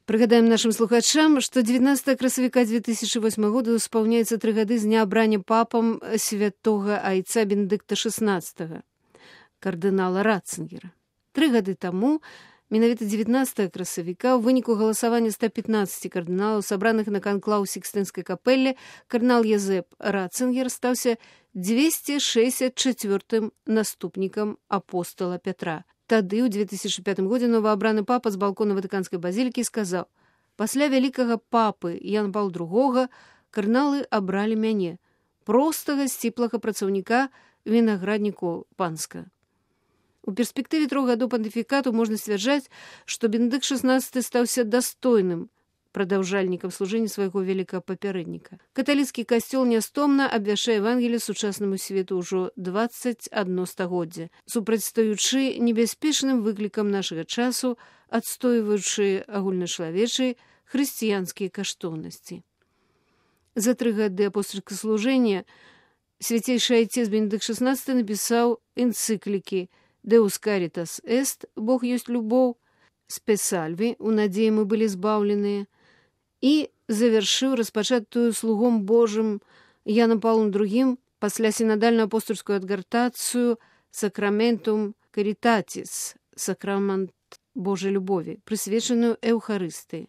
Прыгадаем нашим слухачам, што 19 красавіка 2008 года спаўняецца 3 гады з дня абрання папам святога айца Бенедыкта XVI, кардынала Ратцингера. 3 гады таму, менавіта 19 красавіка, у выніку галасавання 115 кардыналаў, сабраных на канклаў Сікстынскай капэллі, кардынал Язэп Ратцингер стаўся 264-м наступнікам апостала Пятра. Тады, ў 2005 годзе, новаабраны папа з балкона Ватыканскай базілікі сказаў: «Пасля вялікага папы Яна Паўла II кардыналы абралі мяне, простага сціплага працаўніка вінаградніку панска». У перспектыве 3 гадоў пантыфікату можна сцвярджаць, што Бенедыкт XVI стаўся дастойным прадаўжальнікам служэння свайго вялікага папярэдніка. Каталіцкі касцёл нястомна абвяшчае Евангелие сучаснаму свету ўжо 21 стагоддзя, супрацьстаючы небяспечным выклікам нашага часу, адстойваючы агульначалавечыя хрысціянскія каштоўнасці. За 3 гады апостольскага служэння свяцейшы айцец Бенедыкт XVI напісаў энцыклікі «Deus caritas est» «Бог ёсць любоў», «Spes salvi» «У надзеі мы былі збаўленыя» і завяршыў распачатую слугом Божым Янам Паўлам II пасля сінадальную апостольскую адгартацыю «Sacramentum Caritatis» «Сакрамент Божай любові», прысвечаную Эўхарыстыі.